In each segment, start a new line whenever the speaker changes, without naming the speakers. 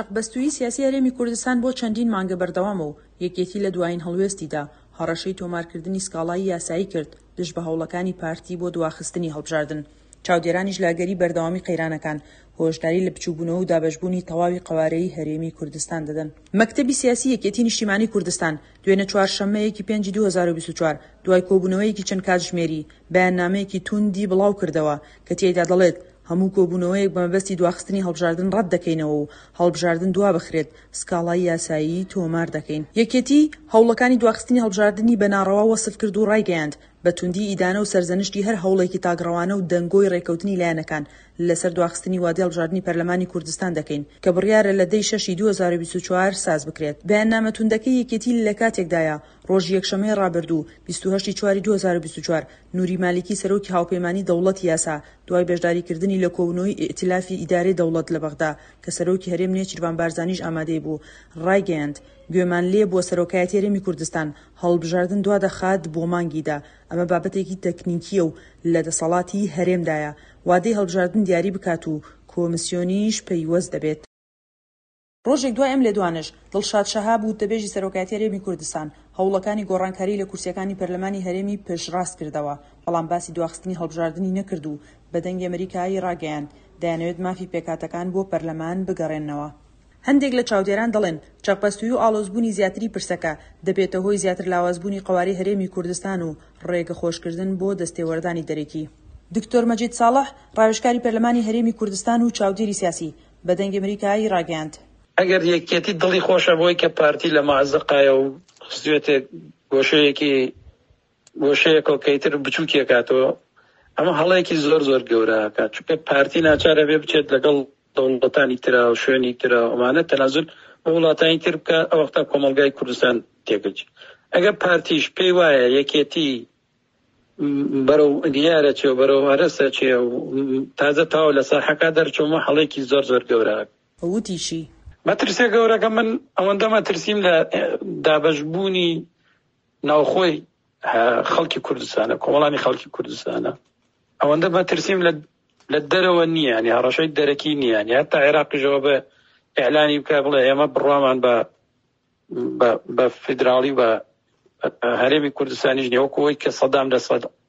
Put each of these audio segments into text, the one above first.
چەقبەستوویی سیاسی هەرێمی کوردستان بۆ چەندین مانگە بەردەوامە و یەکێتی لە دوایین هەڵوێستیدا هەڕەشەی تۆمارکردنی سکاڵای یاسایی کرد دژ بە هەوڵەکانی پارتی بۆ دواخستنی هەڵبژاردن. چاودێرانیش لە ئەگەری بەردەوامی قەیرانەکان، هۆشداری لە بچووکبوونەوە و دابەشبوونی تەواوی قەوارەی هەرێمی کوردستان دەدەن. مەکتەبی سیاسی یەکێتی نیشتیمانی کوردستان، دوێنێ چوارشەممە یەکی پێنجی 2024، دوای کۆبوونەوەیەکی چەند کاتژمێری، بەیاننامەیەکی تووندی بڵاوکردەوە کە تیایدا دەڵێت، هەموو کۆبوونەوەیەک بە مەبەستی دواخستنی هەڵبژاردن ڕەت دەکەینەوە و هەڵبژاردن دوابخرێت، سکاڵای یاسایی تۆمار دەکەین. یەکێتی، هەوڵەکانی دواخستنی هەڵبژاردنی بە ناڕەوا وەسف کرد و ڕایگەیاند، بە توندی ئیدانە و سەرزەنشتی هەر هەوڵێکی تاکڕەوانە و دەنگۆی ڕێککەوتنی لایەنەکان لەسەر دواخستنی وادەی هەڵبژاردنی پەرلەمانی کوردستان دەکەین کە بڕیارە لە دە ی شەشی 2024 ساز بکرێت. بەیاننامە توندەکەی یەکێتی لەکاتێکدایە، ڕۆژی یەکشەممەی ڕابردوو، 28 ی چواری 2024، نوری مالیکی سەرۆکی هاوپەیمانی دەوڵەتی یاسا دوای بەشداریکردنی لە کۆبوونەوەی ئیئتیلافی ئیدارەی دەوڵەت لە بەغدا کە سەرۆکی هەرێم نێچیرڤان بارزانیش ئامادەی بوو ڕایگەیاند، گوێمان لێ بووە سەرۆکایەتی هەرێمی کوردستان هەڵبژاردن دوادەخات بۆ مانگی دە، ئەمە بابەتێکی تەکنیکییە و لە دەسەڵاتی هەرێمدایە وادەی هەڵبژاردن دیاری بکات و کۆمسیۆنیش پەیوەست دەبێت. ڕۆژێک دوای ئەم لێدوانەش، دڵشاد شەهاب، وتەبێژی سەرۆکایەتی هەرێمی کوردستان، هەوڵەکانی گۆڕانکاری لە کورسییەکانی پەرلەمانی هەرێمی پشتڕاست کردەوە، بەڵام باسی دواخستنی هەڵبژاردنی نەکرد و بە دەنگی ئەمریکای ڕاگەیاند، دەیانەوێت مافی پێکهاتەکان بۆ پەرلەمان بگەڕێننەوە. هەندێک لە چاودێران دەڵێن، چەقبەستوویی و ئاڵۆزبوونی زیاتری پرسەکە، دەبێتە هۆی زیاتر لاوازبوونی قەوارەی هەرێمی کوردستان و ڕێگەخۆشکردن بۆ دەستێوەردانی دەرەکی. دکتۆر مەجید ساڵح، ڕاوێژکاری پەرلەمانی هەرێمی کوردستان و چاودێری سیاسی، بە دەنگی ئەمریکا ی ڕاگەیاند.
ئەگەر یەکێتی دڵی خۆشە بۆی کە پارتی لە مەئزەقایە و خستوێتێ گۆشەیەکی گۆشەیەکەوە کە ئیتر بچووکی ئەکاتەوە ئەمە هەڵەیەکی زۆر زۆر گەورە ئەکات چونکە پارتی ناچار ئەبێ بچێت لەگەڵ دەوڵەتانی ترا و شوێنی ترا و ئەمانە تەنازول بۆ وڵاتانی تر بکە ئەو وەختە کۆمەڵگای کوردستان تێکەچێت ئەگەر پارتیش پێی وایە یەکێتی بەرەو دیارە چێ و بەرەو هەرەسە چێ و تازە تاو لە ساحەکە دەرچوومە هەڵێکی زۆر زۆر گەورە.
وتیشی.
مەترسیە گەورەکە من ئەوەندە مەترسیم لە دابەشبوونی ناوخۆی خەڵکی کوردستانە کۆمەڵانی خەڵکی کوردستانە ئەوەندە مەترسیم لە لە دەرەوە نییە ینی هەڕەشەی دەرەکی نییە ینی هەتا عێراقیشەوە بە ئیعلانی بکە بڵێ ئێمە بڕوامان بە بە فیدراڵی بە هەرێمی کوردستانیش نیە وەکو ئەوەی کە سەدام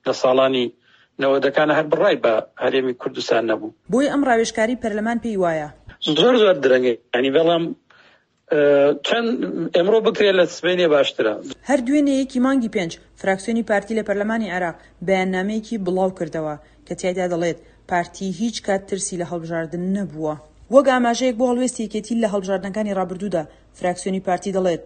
لە ساڵانی نەوەدەکانە هەر بڕای بە هەرێمی کوردستان نەبوو.
بۆیە ئەم ڕاوێژکارەی پەرلەمان پێی وایە.
زۆر زۆر درەنگە یانی بەڵام چەند ئێمڕۆ بکرێت لە سبەینێ باشترە.
هەر دوێنێ یەکی مانگی پێنج، فراکسیۆنی پارتی لە پەرلەمانی عێراق بەیاننامەیەکی بڵاوکردەوە کە تیایدا دەڵێت، پارتی هیچ کات ترسی لە هەڵبژاردن نەبووە. وەک ئاماژەیەک بۆ هەڵوێستی یەکێتی لە هەڵبژاردنەکانی ڕابردوودا، فراکسیۆنی پارتی دەڵێت،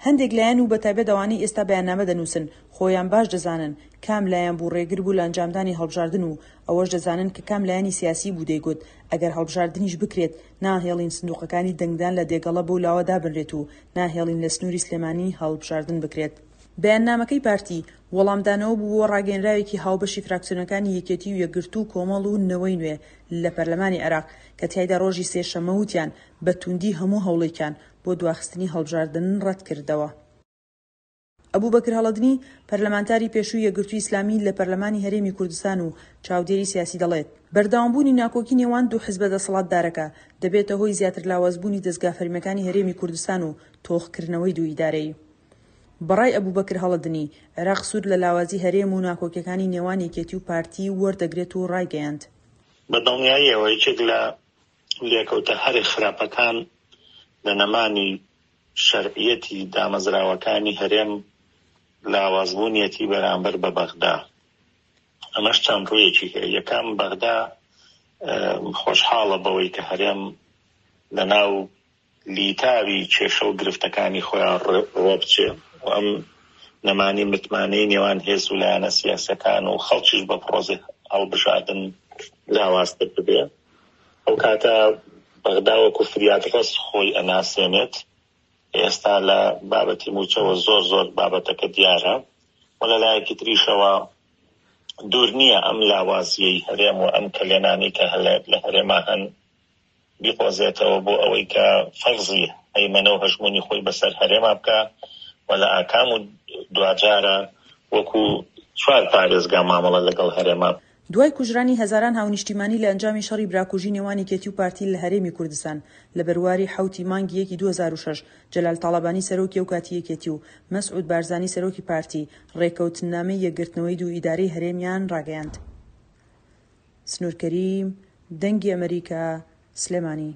هەندێک لایەن و بەتایبەت ئەوانەی ئێستا بەیاننامە دەنووسن خۆیان باش دەزانن کام لایەن بوو ڕێگر بوو لە ئەنجامدانی هەڵبژاردن و ئەوەش دەزانن کە کام لایەنی سیاسی بوو دەیگوت ئەگەر هەڵبژاردنیش بکرێت ناهێڵین سندوقەکانی دەنگدان لە دێگەڵە بەو لاوە دابنرێت و ناهێڵین لە سنووری سلێمانی هەڵبژاردن بکرێت. بەیاننامەکەی پارتی، وەڵامدانەوە بوو بۆ ڕاگەیەنراوێکی هاوبەشی فراکسیۆنەکانی یەکێتی و یەکگرتوو و کۆمەڵ و نەوەی نوێ لە پەرلەمانی عێراق کە تیایدا ڕۆژی سێشەممە وتیان بە توندی هەموو هەوڵێکیان بۆ دواخستنی هەڵبژاردن ڕەتکردەوە. ئەبوبەکر هەڵەدنی، پەرلەمانتاری پێشووی یەکگرتووی ئیسلامی لە پەرلەمانی هەرێمی کوردستان و چاودێری سیاسی دەڵێت، بەردەوامبوونی ناکۆکی نێوان دوو حزبە دەسەڵاتدارەکە دەبێتە هۆی زیاتر لاوازبوونی دەزگا فەرمییەکانی هەرێمی کوردستان و تۆخکردنەوەی دوو ئیدارەیی. بەڕای ئەبوبەکر هەڵەدنی، عێراق سوود لە لاوازی هەرێم و ناکۆکیەکانی نێوان یەکێتی و پارتی وەردەگرێت و ڕایگەیاند،
بە دڵنیاییەوە یەکێک لە لێکەوتە هەرە خراپەکان لە نەمانی شەرعیەتی دامەزراوەکانی هەرێم لاوازبوونیەتی بەرامبەر بە بەغدا. ئەمەش چەند ڕوویەکی هەیە. یەکەم، بەغدا خۆشحاڵە بەوەی کە هەرێم لەناو لیتاوی کێشە و گرفتەکانی خۆیان ڕۆبچێ و ئەم نەمانی متمانەی نێوان هێز و لایەنە سیاسیەکان و خەڵکیش بە پڕۆسەی هەڵبژاردن لاوازتر ببێ. ئەو کاتە بەغدا وەکو فریادڕەس خۆی ئەناسێنێت. ئێستا لە بابەتی مووچەوە زۆر زۆر بابەتەکە دیارە و لە لایەکی تریشەوە دوور نییە ئەم لاوازیەی هەرێم و ئەم کەلێنانەی کە لە هەرێما هەن بیقۆزێتەوە بۆ ئەوەی کە فەرزی هەیمەنە و هەژموونی خۆی بەسەر هەرێما بکا و لە ئاکام و دواجارە وەکو چوار پارێزگا مامەڵە لەگەڵ هەرێما.
دوای کوژرانی هەزاران هاونیشتیمانی لە ئەنجامی شەڕی براکوژی نێوان یەکێتی و پارتی لە هەرێمی کوردستان لە بەرواری حەوتی مانگی یەکی 2006 جەلال تاڵەبانی سەرۆکی ئەوکاتی یەکێتی و مەسعود بارزانی سەرۆکی پارتی ڕێکەوتننامەی یەکگرتنەوەی دوو ئیدارەی هەرێمیان ڕاگەیاند. سنوور کەریم، دەنگی ئەمەریکا، سلێمانی.